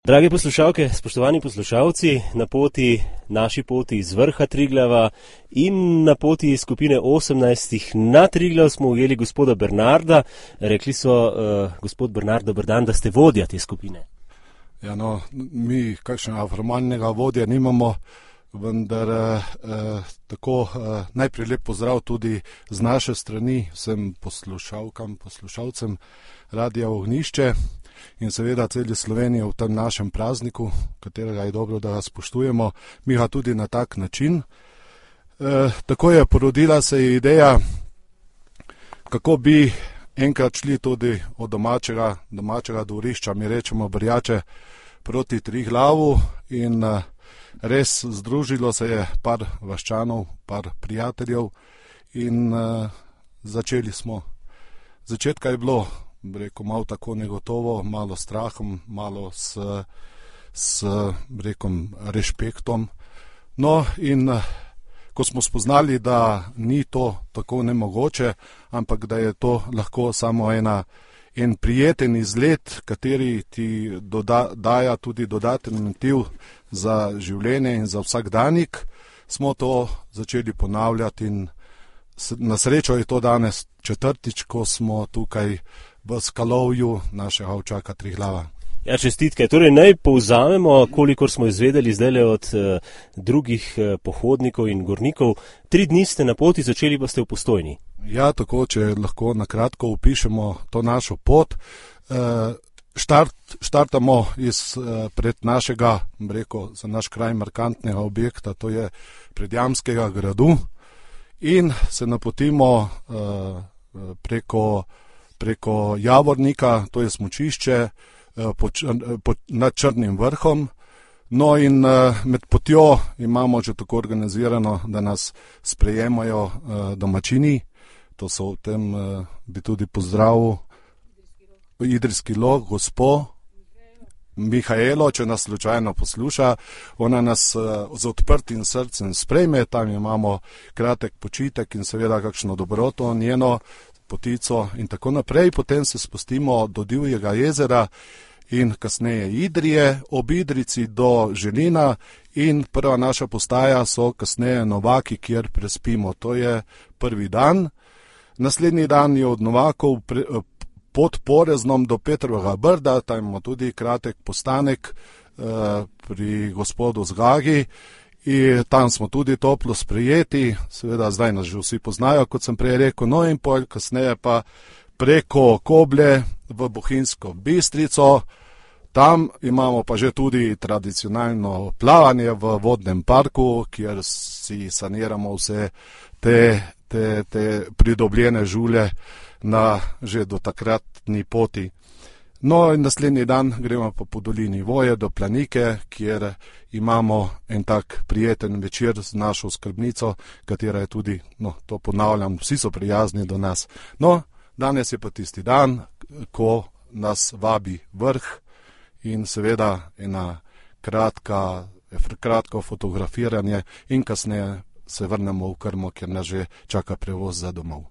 Drage poslušalke, spoštovani poslušalci, na naši poti iz vrha Triglava in na poti skupine 18 na Triglav smo ujeli gospoda Bernarda. Rekli so, gospod Bernard, dober dan, da ste vodja te skupine. Ja, no, mi kakšnega formalnega vodja nimamo, vendar tako najprej lep pozdrav tudi z naše strani vsem poslušalcem Radia Ognjišče in seveda celi Sloveniji v tem našem prazniku, katerega je dobro, da ga spoštujemo, mi ga tudi na tak način. Tako je porodila se ideja, kako bi enkrat šli tudi od domačega dvorišča, mi rečemo Brjače, proti Triglavu in res združilo se je par vaščanov, par prijateljev in začeli smo. Začetka je bilo, rekel, malo tako negotovo, malo strahom, malo s rekom, rešpektom. No in ko smo spoznali, da ni to tako nemogoče, ampak da je to lahko samo en prijeten izlet, kateri ti daja tudi dodaten motiv za življenje in za vsakdanik, smo to začeli ponavljati in na srečo je to danes četrtič, ko smo tukaj v skalovju našega ovčaka Triglava. Ja, čestitke. Torej naj povzamemo, kolikor smo izvedeli zdaj od drugih pohodnikov in gornikov. 3 dni ste na poti, začeli pa ste v Postojni. Ja, tako, če lahko nakratko opišemo to našo pot. Štartamo pred našega, rekel, za naš kraj markantnega objekta, to je Predjamskega gradu in se napotimo preko Javornika, to je smučišče, nad Črnim vrhom. No in med potjo imamo že tako organizirano, da nas sprejemajo domačini. To so v tem, bi tudi pozdravil Idrijski log, gospo Mihaelo, če nas slučajno posluša. Ona nas z odprtim srcem sprejme, tam imamo kratek počitek in seveda kakšno dobroto, njeno potico in tako naprej. Potem se spustimo do Divjega jezera in kasneje Idrije, ob Idrici do Želina in prva naša postaja so kasneje Novaki, kjer prespimo. To je prvi dan. Naslednji dan je od Novakov pod Poreznom do Petrovega Brda, tam imamo tudi kratek postanek pri gospodu Zgagi in tam smo tudi toplo sprejeti, seveda zdaj nas že vsi poznajo, kot sem prej rekel, no in pol kasneje pa preko Koblje v Bohinjsko Bistrico. Tam imamo pa že tudi tradicionalno plavanje v vodnem parku, kjer si saniramo vse te pridobljene žulje na že do takratni poti. No in naslednji dan gremo pa po dolini Voje do Planike, kjer imamo en tak prijeten večer z našo skrbnico, katera je tudi, no to ponavljam, vsi so prijazni do nas. No, danes je pa tisti dan, ko nas vabi vrh in seveda ena kratko fotografiranje in kasneje se vrnemo v Krmo, kjer nas že čaka prevoz za domov.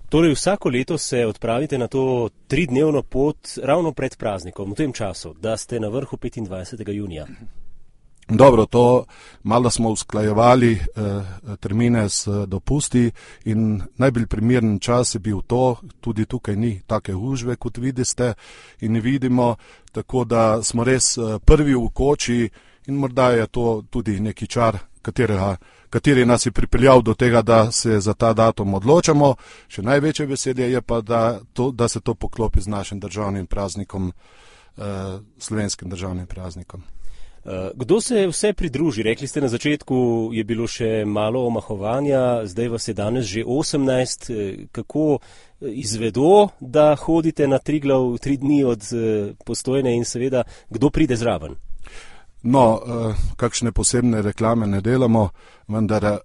Torej vsako leto se odpravite na to 3-dnevno pot ravno pred praznikom, v tem času, da ste na vrhu 25. junija. Dobro, to malo smo usklajevali termine s dopusti in najbolj primeren čas je bil to, tudi tukaj ni take gužve, kot vidite in vidimo, tako da smo res prvi v koči in morda je to tudi neki čar, kateri nas je pripeljal do tega, da se za ta datum odločamo. Še največje veselje je pa, da se to poklopi z našim državnim praznikom, slovenskim državnim praznikom. Kdo se vse pridruži? Rekli ste, na začetku je bilo še malo omahovanja, zdaj vas je danes že 18. Kako izvedo, da hodite na Triglav 3 dni od Postojne in seveda, kdo pride zraven? No, kakšne posebne reklame ne delamo, vendar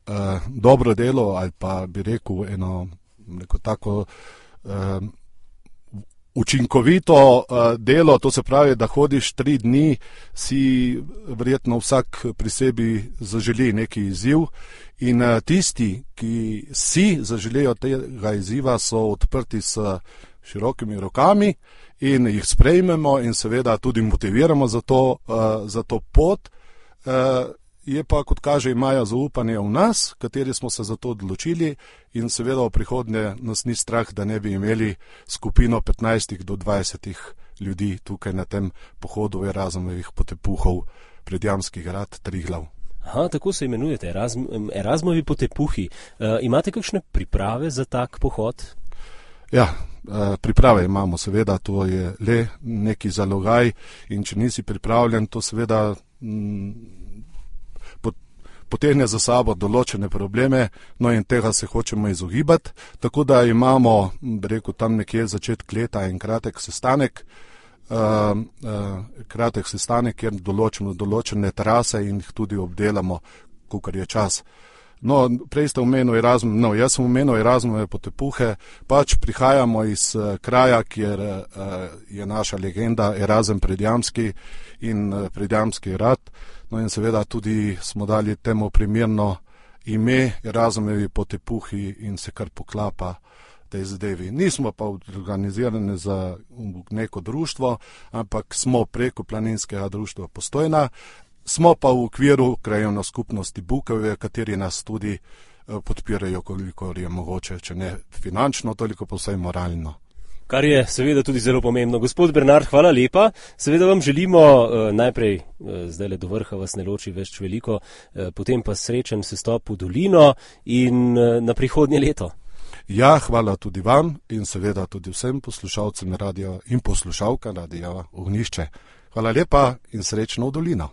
dobro delo ali pa bi rekel neko tako učinkovito delo, to se pravi, da hodiš 3 dni, si verjetno vsak pri sebi zaželi neki izziv in tisti, ki si zaželijo tega izziva, so odprti s širokimi rokami in jih sprejmemo in seveda tudi motiviramo za to pot. Je pa, kot kaže, imajo zaupanje v nas, kateri smo se za to odločili in seveda v prihodnje nas ni strah, da ne bi imeli skupino 15 do 20 ljudi tukaj na tem pohodu Erasmovih potepuhov Predjamski grad Triglav. Aha, tako se imenujete, Erasmovi potepuhi. Imate kakšne priprave za tak pohod? Ja, priprave imamo, seveda, to je le neki zalogaj in če nisi pripravljen, to seveda potegne za sabo določene probleme, no in tega se hočemo izogibati, tako da imamo, rekel, tam nekje začetek leta en kratek sestanek, kjer določimo določene trase in jih tudi obdelamo, kolikor je čas. No, prej ste omenil Erasmus, jaz sem omenil Erasmove potepuhe, pač prihajamo iz kraja, kjer je naša legenda Erasm Predjamski in Predjamski grad, no in seveda tudi smo dali temu primerno ime Erasmovi potepuhi in se kar poklapa tej zadevi. Nismo pa organizirani za neko društvo, ampak smo preko Planinskega društva Postojna, smo pa v okviru krajevne skupnosti Bukovje, kateri nas tudi podpirajo, koliko je mogoče, če ne finančno, toliko pa vsaj moralno. Kar je seveda tudi zelo pomembno. Gospod Bernard, hvala lepa. Seveda vam želimo najprej, zdajle do vrha vas ne loči več veliko, potem pa srečen sestop v dolino in na prihodnje leto. Ja, hvala tudi vam in seveda tudi vsem poslušalcem radia in poslušalka Radia Ognjišče. Hvala lepa in srečno v dolino.